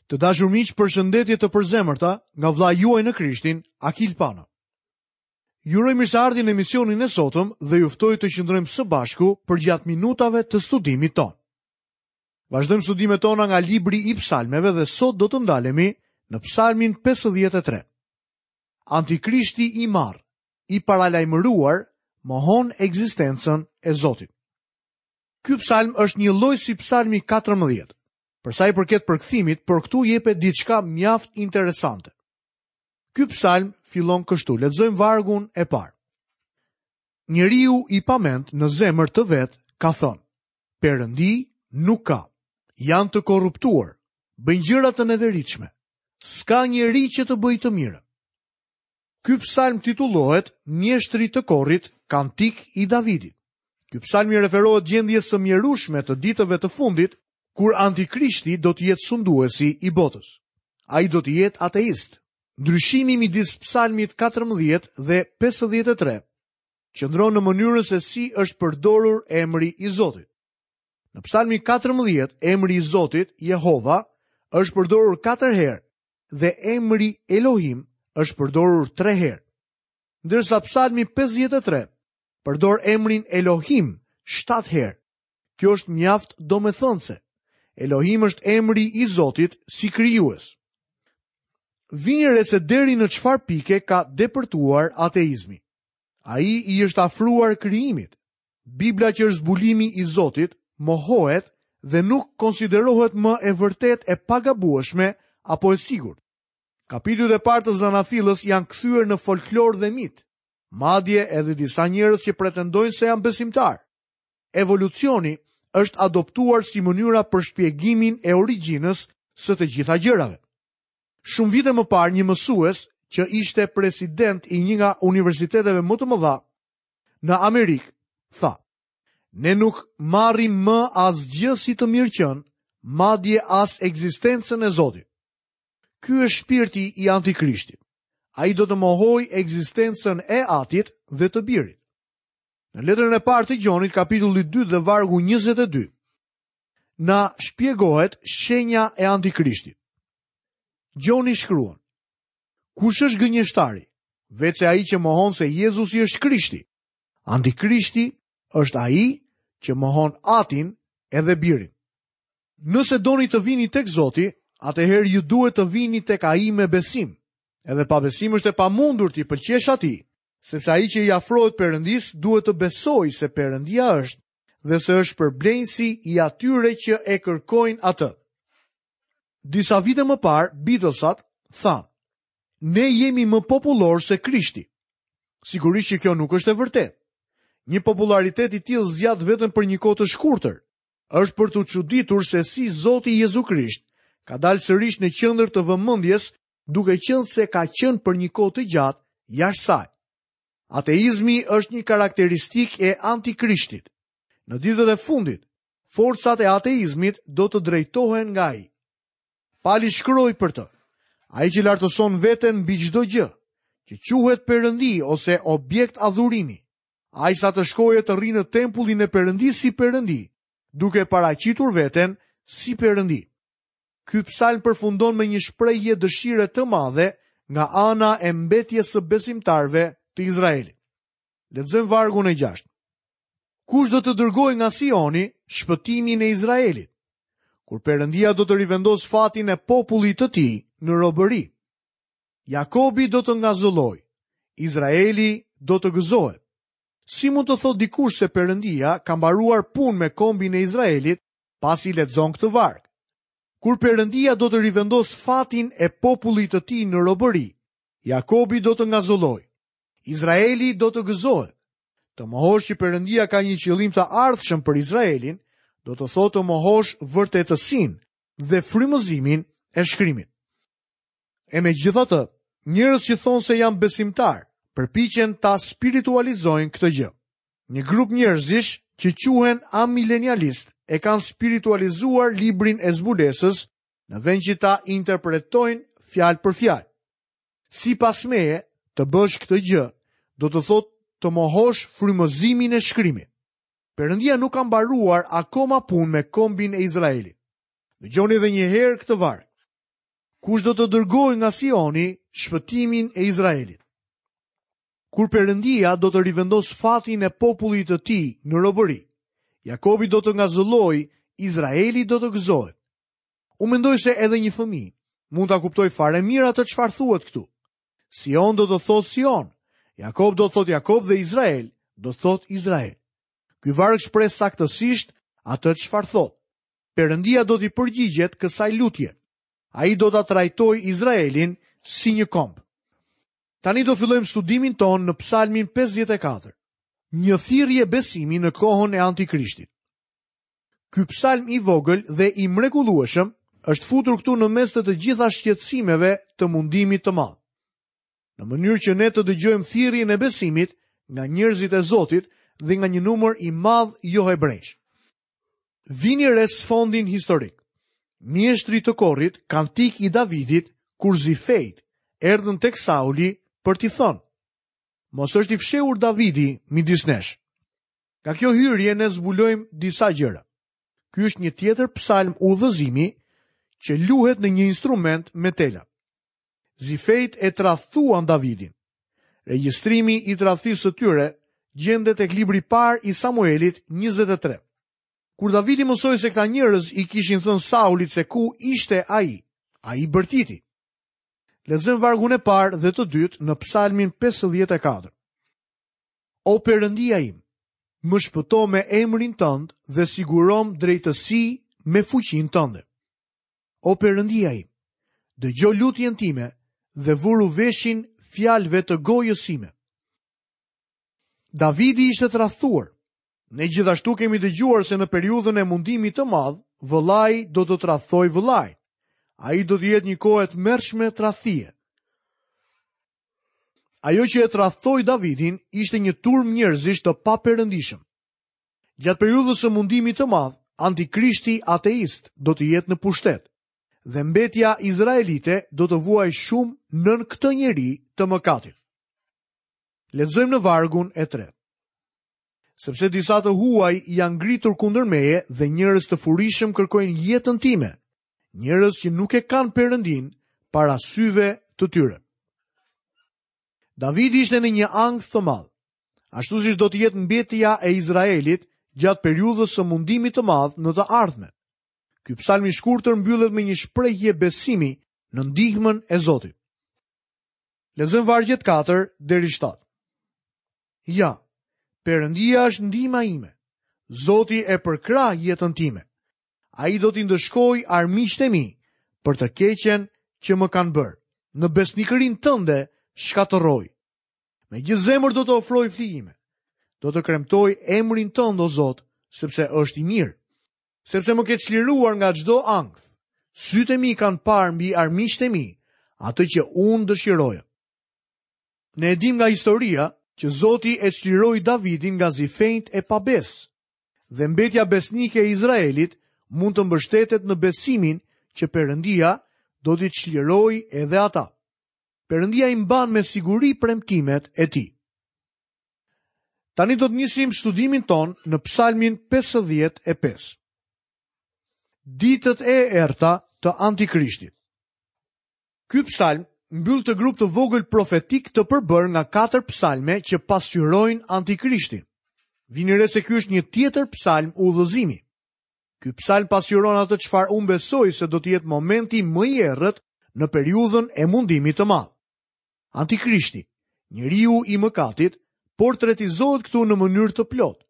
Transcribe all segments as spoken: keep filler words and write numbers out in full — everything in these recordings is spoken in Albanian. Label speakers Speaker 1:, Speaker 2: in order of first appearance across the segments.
Speaker 1: Të dashur miq, përshëndetje të përzemërta nga vëllai juaj në Krishtin, Akil Pano. Ju uroj mirëseardhjen në emisionin e sotëm dhe ju ftoj të qëndrojmë së bashku përgjatë minutave të studimit tonë. Vazhdojmë studimet tona nga libri i Psalmeve dhe sot do të ndalemi në Psalmin pesëdhjetë e tre. Antikrishti i marrë, i paralajmëruar, mohon ekzistencën e Zotit. Ky psalm është një lloj si Psalmi katërmbëdhjetë. Për sa i përket përkthimit, por këtu jepet diçka mjaft interesante. Ky psalm fillon kështu, lexojmë vargun e parë. Njeriu i pament në zemër të vet ka thënë: Perëndi nuk ka. Janë të korruptuar, bëjnë gjëra të neveritshme. S'ka njeri që të bëjë të mirën. Ky psalm titullohet Mjeshtri të Korrit, Kantik i Davidit. Ky psalm i referohet gjendjes së mjerueshme të ditëve të fundit, kur Antikrishti do të jetë sunduesi i botës. Ai do të jetë ateist. Ndryshimi midis psalmit katërmbëdhjetë dhe pesëdhjetë e tre qëndron në mënyrën se si është përdorur emri i Zotit. Në psalmin katërmbëdhjetë, emri i Zotit, Jehova, është përdorur katër herë dhe emri Elohim është përdorur tre herë. Ndërsa psalmi pesëdhjetë e tre përdor emrin Elohim shtatë herë. Kjo është mjaft domethënëse. Elohim është emri i Zotit si krijues. Vini re se deri në çfarë pike ka depërtuar ateizmi. Ai i është afruar krijimit. Bibla që është zbulimi i Zotit mohohet dhe nuk konsiderohet më e vërtetë e pagabueshme apo e sigurt. Kapitujt e parë të Zanafillës janë kthyer në folklor dhe mit, madje edhe disa njerëz që pretendojnë se janë besimtar. Evolucioni është adoptuar si mënyra për shpjegimin e origjinës së të gjitha gjërave. Shumë vite më parë, një mësues që ishte president i një nga universiteteve më të mëdha në Amerikë, tha: Ne nuk marrim më asgjë si të mirëqen, madje as ekzistencën e Zotit. Ky është shpirti i Antikrishtit. Ai do të mohojë ekzistencën e Atit dhe të Birit. Në letrën e parë të Gjonit, kapitulli dy dhe vargu njëzet e dy, na shpjegohet shenja e Antikrishtit. Gjoni shkruan: Kush është gënjeshtari? Veçse ai që mohon se Jezusi është Krishti. Antikrishti është ai që mohon Atin edhe Birin. Nëse doni të vini tek Zoti, atëherë ju duhet të vini tek ai me besim. Edhe pa besim është e pamundur t'i pëlqesh atij, sepse ai që i afrohet Perëndisë duhet të besojë se Perëndia është dhe se është përblenjësi i atyre që e kërkojnë atë. Disa vite më parë, Beatlesat thanë: Ne jemi më popullor se Krishti. Sigurisht që kjo nuk është e vërtetë. Një popularitet i tillë zgjat vetëm për një kohë të shkurtër. Është për t'u çuditur se si Zoti Jezu Krisht ka dalë sërish në qendër të vëmendjes, duke qenë se ka qenë për një kohë të gjatë jashtë saj. Ateizmi është një karakteristikë e Antikrishtit. Në ditët e fundit, forcat e ateizmit do të drejtohen nga ai. Pali shkroi për të: Ai që lartëson veten mbi çdo gjë, që quhet Perëndi ose objekt adhurimi, ai sa të shkojë të rrinë në tempullin e Perëndisë si Perëndi, duke paraqitur veten si Perëndi. Ky psalm përfundon me një shprehje dëshire të madhe nga ana e mbetjes së besimtarëve të Izraelit. Lexojmë vargun e gjashtë. Kush do të dërgojë nga Sioni shpëtimin e Izraelit? Kur Perëndia do të rivendosë fatin e popullit të tij në robëri. Jakobi do të ngazëllojë, Izraeli do të gëzohet. Si mund të thotë dikush se Perëndia ka mbaruar punë me kombin e Izraelit pasi lexon këtë varg? Kur Perëndia do të rivendosë fatin e popullit të tij në robëri, Jakobi do të ngazëllojë, Izraeli do të gëzohet. Të mohosh që Perëndia ka një qëllim të ardhshëm për Izraelin, do të thotë të mohosh vërtetësinë dhe frymëzimin e shkrimit. E megjithatë, njerëz që thonë se janë besimtar, përpiqen ta spiritualizojnë këtë gjë. Një grup njerëzish që quhen amilenialist e kanë spiritualizuar librin e zbulesës në vend që ta interpretojnë fjalë për fjalë. Sipas meje, të bësh këtë gjë do të thotë të mohosh frymëzimin e shkrimit. Perëndia nuk ka mbaruar akoma punë me kombin e Izraelit. Dëgjoni edhe një herë këtë varg. Kush do të dërgojë nga Sioni shpëtimin e Izraelit? Kur Perëndia do të rivendosë fatin e popullit të tij në robëri, Jakobi do të ngazëllojë, Izraeli do të gëzohet. Unë mendoj se edhe një fëmijë mund ta kuptojë fare mirë atë çfarë thuhet këtu. Sion do të thotë Sion, Jakob do të thotë Jakob dhe Izrael do të thotë Izrael. Ky varg shpreh saktësisht atë çfarë thotë. Perëndia do t'i përgjigjet kësaj lutje. Ai do ta trajtojë Izraelin si një komb. Tani do fillojmë studimin tonë në Psalmin pesëdhjetë e katër. Një thirrje besimi në kohën e Antikrishtit. Ky psalm i vogël dhe i mrekullueshëm është futur këtu në mes të të gjitha shqetësimeve të mundimit të madh. Në mënyrë që ne të dëgjojmë thirrjen e besimit nga njerëzit e Zotit dhe nga një numër i madh johebrejsh. Vini re sfondin historik. Mjeshtri të korrit, kantik i Davidit, kur zifejt erdhën tek Sauli për t'i thënë: Mos është i fshehur Davidi midis nesh. Nga kjo hyrje ne zbulojmë disa gjëra. Ky është një tjetër psalm udhëzimi që luhet në një instrument me tela. Zifejt e tradhtuan Davidin. Regjistrimi i tradhtisë së tyre gjendet tek libri i parë i Samuelit njëzet e tre. Kur Davidi mësoi se këta njerëz i kishin thënë Saulit se ku ishte ai, ai bërtiti. Lexojmë vargun e parë dhe të dytë në Psalmin pesëdhjetë e katër. O Perëndia im, më shpëto me emrin tënd dhe sigurom drejtësi me fuqinë tënde. O Perëndia im, dëgjo lutjen time dhe vuru veshin fjalëve të gojës sime. Davidi ishte tradhtuar. Ne gjithashtu kemi dëgjuar se në periudhën e mundimit të madh, vëllai do të tradhtojë vëllain. Ai do të jetë një kohë e tmerrshme tradhtie. Ajo që e tradhtoi Davidin ishte një turm njerëzish të paperëndishëm. Gjatë periudhës së mundimit të madh, antikrishti ateist do të jetë në pushtet dhe mbetja izraelite do të vuajë shumë nën këtë njeri të mëkatit. Lexojmë në vargun e tretë. Sepse disa të huaj janë ngritur kundër meje dhe njerëz të furishëm kërkojnë jetën time, njerëz që nuk e kanë Perëndin para syve të tyre. Davidi ishte në një ankth të madh, ashtu siç do të jetë mbetja e Izraelit gjatë periudhës së mundimit të madh në të ardhmen. Ky psalm i shkurtër mbyllet me një shprehje besimi në ndihmën e Zotit. Lexojmë vargjet katër deri shtatë. Ja, Perëndia është ndihma ime. Zoti e përkrah jetën time. Ai do t'i ndëshkojë armiqtë e mi për të keqen që më kanë bërë. Në besnikërinë tënde shkatërroj. Me gjithë zemër do të ofroj flijime. Do të kremtoj emrin tënd, o Zot, sepse është i mirë. Sepse më ke çliruar nga çdo ankth. Sytë e mi kanë parë mbi armiqtë e mi, atë që unë dëshiroja. Ne e dim nga historia që Zoti e çliroi Davidin nga zifenjt e pabes, dhe mbetja besnike e Izraelit mund të mbështetet në besimin që Perëndia do t'i çlirojë edhe ata. Perëndia i mban me siguri premtimet e tij. Tani do të nisim studimin ton në Psalmin pesëdhjetë e pesë. Ditët e errta të Antikrishtit. Ky psalm mbyll të grup të vogël profetik të përbërë nga katër psalme që pasqyrojnë Antikrishtin. Vini re se ky është një tjetër psalm udhëzimi. Ky psalm pasqyron atë çfarë unë besoj se do të jetë momenti më i errët në periudhën e mundimit të madh. Antikrishti, njeriu i mëkatit, portretizohet këtu në mënyrë të plotë,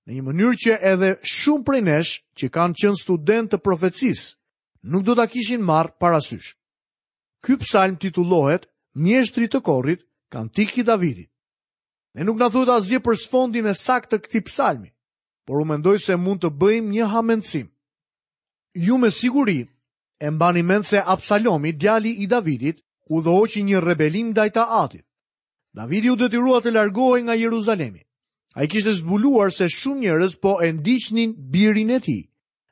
Speaker 1: në një mënyrë që edhe shumë prej nesh që kanë qenë studentë të profecisë nuk do ta kishin marrë parasysh. Ky psalm titullohet Mjeshtri të Korrit, Kantik i Davidit. Ne nuk na thuhet asgjë për sfondin e saktë të këtij psalmi, por unë mendoj se mund të bëjmë një hamendësim. Ju me siguri e mbani mend se Absalomi, djali i Davidit, udhëhoqi një rebelim ndaj të atit. Davidi u detyrua të largohej nga Jeruzalemi. Ai kishte zbuluar se shumë njerëz po e ndiqnin birin e tij,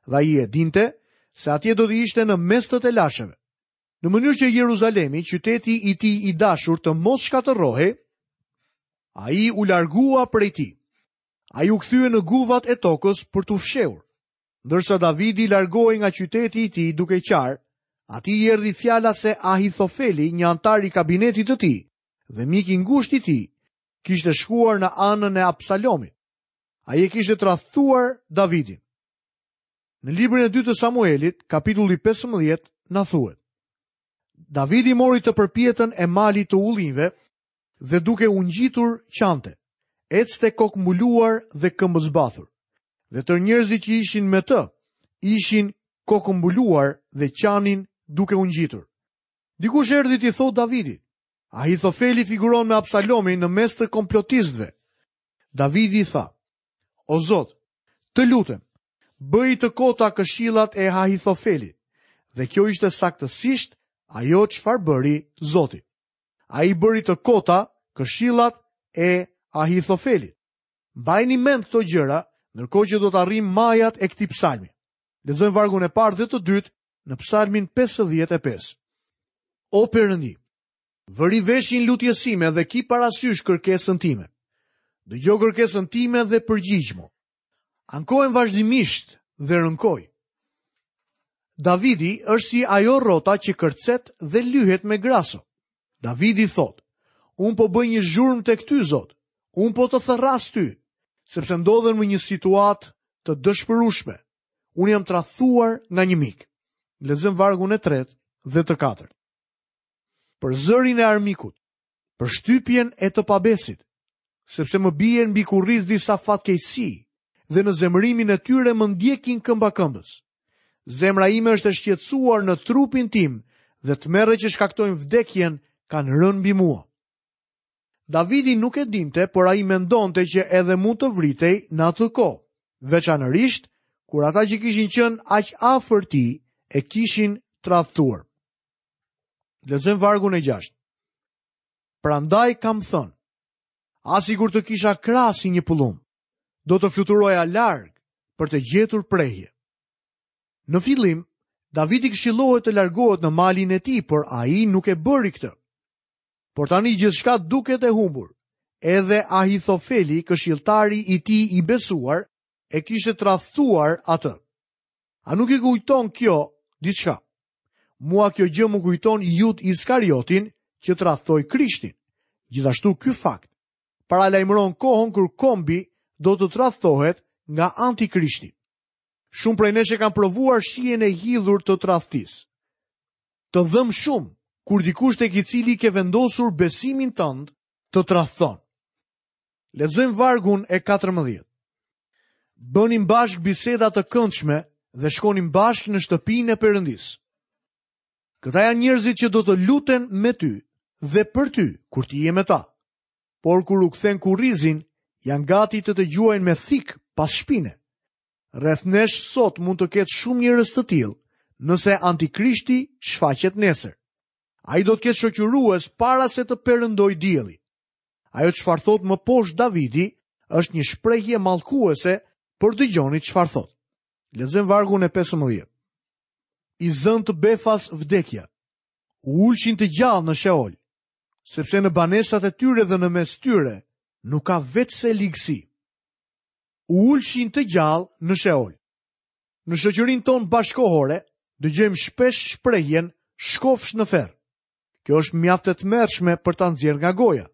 Speaker 1: dhe ai e dinte se atje do të ishte në mes të telasheve. Në mënyrë që Jeruzalemi, qyteti i tij i dashur, të mos shkatërrohej, ai u largua prej tij. Ai u kthye në guvat e tokës për t'u fshehur. Ndërsa Davidi largohej nga qyteti i tij duke qarë, Atij i erdhi fjala se Ahithofeli, një anëtar i kabinetit të tij dhe mik i ngushtë i tij, kishte shkuar në anën e Absalomit. Ai e kishte tradhtuar Davidin. Në librin e dytë të Samuelit, kapitulli pesëmbëdhjetë, na thuhet: Davidi mori të përpjetën e malit të ullinjve dhe duke u ngjitur qante, ecte kokëmbuluar dhe këmbëzbathur. Dhe tërë njerëzit që ishin me të, ishin kokëmbuluar dhe qanin duke u ngjitur. Dikush erdhi t'i thotë Davidit: Ahithofeli figuron me Absalomin në mes të komplotistëve. Davidi i tha: O Zot, të lutem, bëj të kota këshillat e Ahithofelit. Dhe kjo ishte saktësisht ajo çfarë bëri Zoti. Ai bëri të kota këshillat e Ahithofelit. Mbajini mend këto gjëra, ndërkohë që do të arrijmë majat e këtij psalmi. Lexojmë vargun e parë dhe të dytë në psalmin pesëdhjetë e pesë. O Perëndi, vëri veshin lutjes sime dhe ki parasysh kërkesën time. Dëgjo kërkesën time dhe përgjigjmu. Ankohem vazhdimisht dhe rënkoj. Davidi është si ajo rrota që kërcet dhe lyhet me graso. Davidi thotë: Unë po bëj një zhurmë tek ty, Zot. Unë po të thërras ty, sepse ndodhem në një situatë të dëshpërueshme. Unë jam tradhtuar nga një mik. Lexojmë vargun e tretë dhe të katërt. Për zërin e armikut, për shtypjen e të pabesit, sepse më bien mbi kurriz disa fatkeqësi dhe në zemërimin e tyre më ndjekin këmba këmbës. Zemra ime është e shqetësuar në trupin tim dhe tmerre që shkaktojnë vdekjen kanë rënë mbi mua. Davidi nuk e dinte, por ai mendonte që edhe mund të vritej në atë kohë, veçanërisht kur ata që kishin qenë aq afër tij e kishin tradhtuar. Lexojmë vargun e gjashtë. Prandaj kam thënë, a sikur të kisha krah si një pullum, do të fluturoja larg për të gjetur prehje. Në fillim, Davidi këshillohet të largohet në malin e tij, por ai nuk e bëri këtë. Por tani gjithçka duket e humbur. Edhe Ahithofeli, këshilltari i tij i besuar, e kishte tradhtuar atë. A nuk i kujton kjo diçka? Mua kjo gjë më kujton Jud Iskariotin që tradhtoi Krishtin. Gjithashtu ky fakt paralajmëron kohën kur kombi do të tradhtohet nga antikrishti. Shumë prej nesh e kanë provuar shijen e hidhur të tradhtisë. Të dhëm shumë kur dikush tek i cili ke vendosur besimin tënd të tradhton. Lexojmë vargun e katërmbëdhjetë. Bënim bashkë biseda të këndshme dhe shkonim bashkë në shtëpinë e Perëndisë. Këta janë njerëzit që do të luten me ty dhe për ty kur ti je me ta. Por kur u kthen kurrizin, janë gati të të gjuajnë me thik pas shpine. Rreth nesh sot mund të ketë shumë njerëz të tillë, nëse antikrishti shfaqet nesër. Ai do të ketë shoqërues para se të perëndoj dielli. Ajo çfarë thot më poshtë Davidi është një shprehje mallkuese, por dëgjoni çfarë thot. Lexojmë vargun e pesëmbëdhjetë. I zënë të befas vdekja, u ulshin të gjallë në Sheol, sepse në banesat e tyre dhe në mes tyre nuk ka veçse ligësi. U ulshin të gjallë në Sheol. Në shoqërinë tonë bashkohore dëgjojmë shpesh shprehjen shkofsh në ferr. Kjo është mjaft e tmerrshme për ta nxjerrë nga goja.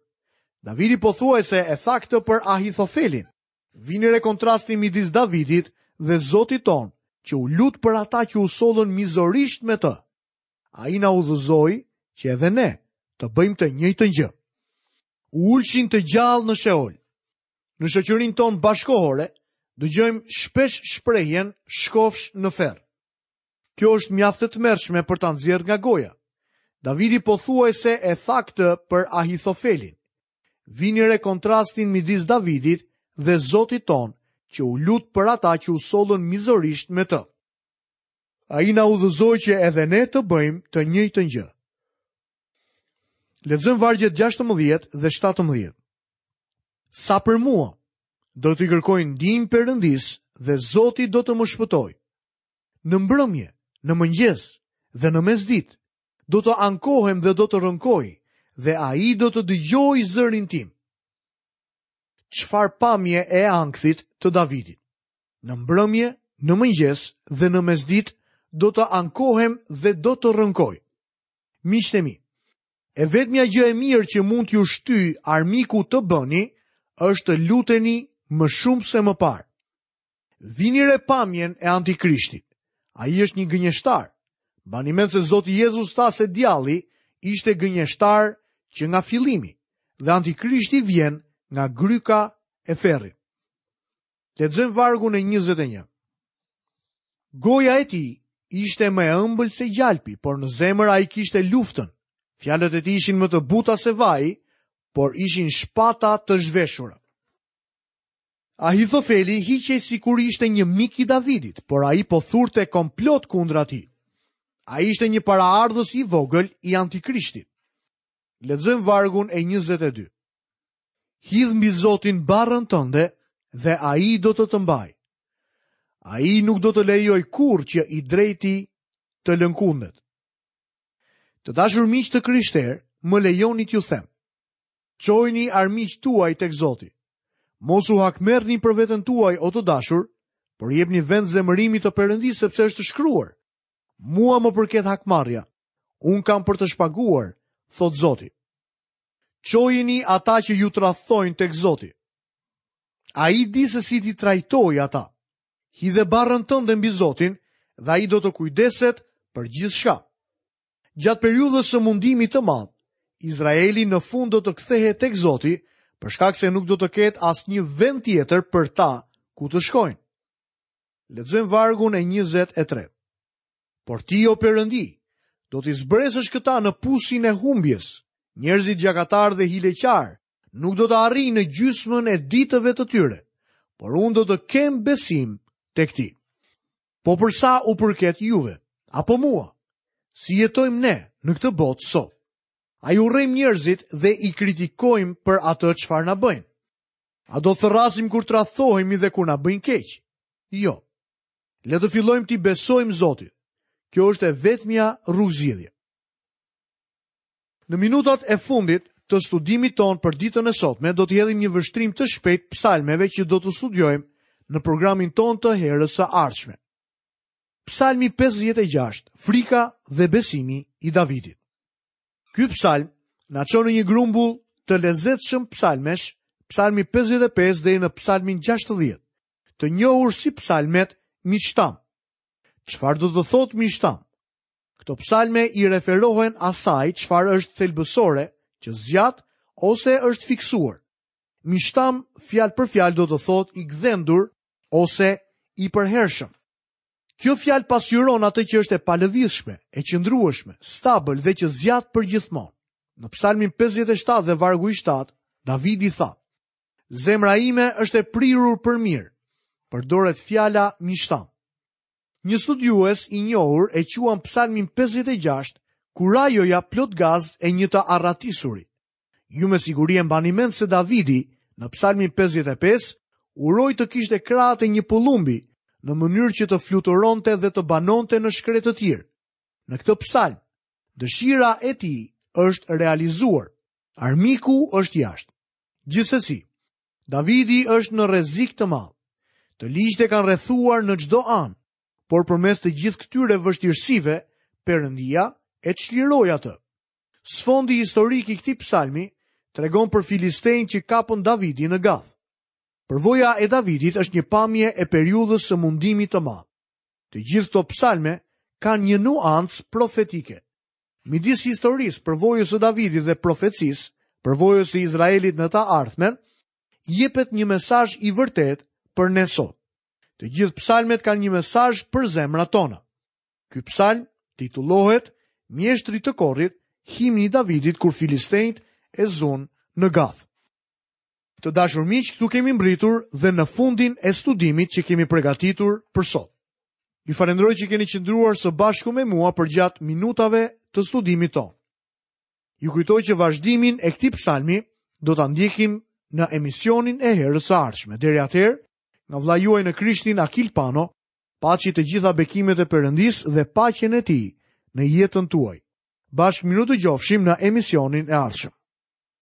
Speaker 1: Davidi pothuajse e tha këtë për Ahithofelin. Vini re kontrasti midis Davidit dhe Zotit ton, që u lut për ata që u sollën mizorisht me të. Ai na udhëzoi që edhe ne të bëjmë të njëjtën gjë. U ulshin të gjallë në Sheol. Në shoqërinë tonë bashkohore dëgjojmë shpesh shprehjen shkofsh në ferr. Kjo është mjaft e tmerrshme për ta nxjerrë nga goja. Davidi pothuajse e tha këtë për Ahithofelin. Vini re kontrastin midis Davidit dhe Zotit ton, që u lut për ata që u sollën mizorisht me të. Ai na udhëzoi që edhe ne të bëjmë të njëjtën gjë. Lexojmë vargjet gjashtëmbëdhjetë dhe shtatëmbëdhjetë. Sa për mua, do t'i kërkoj ndihmë Perëndisë dhe Zoti do të më shpëtojë. Në mbrëmje, në mëngjes dhe në mesditë, do të ankohem dhe do të rënkoj, dhe ai do të dëgjojë zërin tim. Çfarë pamje e ankthit të Davidit. Në mbrëmje, në mëngjes dhe në mesditë do të ankohem dhe do të rënkoj. Miqtë e mi, e vetmja gjë e mirë që mund t'ju shtyj armiku të bëni është të luteni më shumë se më parë. Vini re pamjen e antikrishtit. Ai është një gënjeshtar. Mbani mend se Zoti Jezus tha se djalli ishte gënjeshtar që nga fillimi dhe antikrishti vjen nga gryka e ferrit. Lexojmë vargun e njëzet e një. Goja e tij ishte më e ëmbël se gjalpi, por në zemër ai kishte luftën. Fjalët e tij ishin më të buta se vaji, por ishin shpata të zhveshura. Ahithofeli hiqej sikur ishte një mik i Davidit, por ai po thurte komplot kundra tij. Ai ishte një paraardhës i vogël i antikrishtit. Lexojmë vargun e njëzet e dy. Hidh mbi Zotin barrën tënde dhe ai do të të mbajë. Ai nuk do të lejoj kurrë që i drejti të lënkundet. Të dashur miq të krishterë, më lejoni t'ju them. Çojini armiqtë tuaj tek Zoti. Mos u hakmerrni për veten tuaj, o të dashur, por jepni vend zemërimit të Perëndisë, sepse është shkruar: Mua më përket hakmarrja, un kam për të shpaguar, thot Zoti. Çojini ata që ju tradhtojnë tek Zoti. Ai di se si t'i trajtojë ata. Hidhe barrën tënde mbi Zotin dhe ai do të kujdeset për gjithçka. Gjatë periudhës së mundimit të madh, Izraeli në fund do të kthehet tek Zoti, për shkak se nuk do të ketë asnjë vend tjetër për ta ku të shkojnë. Lexojmë vargun e njëzet e tre. Por ti, o Perëndi, do t'i zbresësh këta në pusin e humbjes. Njerëzit gjakatar dhe hileqar nuk do të arrijnë në gjysmën e ditëve të tyre, por unë do të kem besim tek ti. Po për sa u përket juve, apo mua, si jetojmë ne në këtë botë sot? A i urrejmë njerëzit dhe i kritikojmë për atë çfarë na bëjnë? A do thërrasim kur tradhtohemi dhe kur na bëjnë keq? Jo. Le të fillojmë t'i besojmë Zotit. Kjo është e vetmja rrugëzgjidhje. Në minutat e fundit të studimit ton për ditën e sotme do të hedhim një vështrim të shpejt psalmeve që do të studiojmë në programin ton të herës së ardhshme. Psalmi pesëdhjetë e gjashtë, frika dhe besimi i Davidit. Ky psalm na çon në një grumbull të lezetshëm psalmesh, psalmi pesëdhjetë e pesë deri në psalmin gjashtëdhjetë, të njohur si psalmet Mishtam. Çfarë do të thotë Mishtam? Këto psalme i referohen asaj çfarë është thelbësore, që zgjat ose është fiksuar. Mishtam fjalë për fjalë do të thotë i gdhendur ose i përhershëm. Kjo fjalë pasqyron atë që është e palëvizshme, e qëndrueshme, stabil dhe që zgjat përgjithmonë. Në psalmin pesëdhjetë e shtatë dhe vargu i shtatë, Davidi tha: Zemra ime është e prirur për mirë. Përdoret fjala mishtam. Një studiues i njohur e quan psalmin pesëdhjetë e gjashtë kurajoja plot gaz e një të arratisuri. Ju me siguri e mbani mend se Davidi në psalmin pesëdhjetë e pesë uroi të kishte krahët e një pëllumbi në mënyrë që të fluturonte dhe të banonte në shkretë të tjerë. Në këtë psalm, dëshira e tij është realizuar. Armiku është jashtë. Gjithsesi, Davidi është në rrezik të madh. Të ligjtë e kanë rrethuar në çdo anë, por përmes të gjithë këtyre vështirësive, Perëndia e çliroi atë. Sfondi historik i këtij psalmi tregon për filistejnë që kapën Davidin në Gath. Përvoja e Davidit është një pamje e periudhës së mundimit të madh. Të gjithë këto psalme kanë një nuancë profetike. Midis historisë, përvojës së Davidit dhe profecisë, përvojës së Izraelit në të ardhmen, jepet një mesazh i vërtet për ne sot. Të gjithë psalmet kanë një mesazh për zemrat tona. Ky psalm titullohet Mjeshtri të Korrit, himni i Davidit kur filistejt e zunë në Gath. Të dashur miq, këtu kemi mbritur dhe në fundin e studimit që kemi përgatitur për sot. Ju falenderoj që keni qëndruar së bashku me mua përgjatë minutave të studimit tonë. Ju kujtoj që vazhdimin e këtij psalmi do ta ndjekim në emisionin e herës së ardhshme. Deri atëherë, nga vëllai juaj në Krishtin Akil Pano, paçi të gjitha bekimet e Perëndisë dhe paqen e tij në jetën tuaj. Bashkë mirudëgjofshim në emisionin e ardhshëm.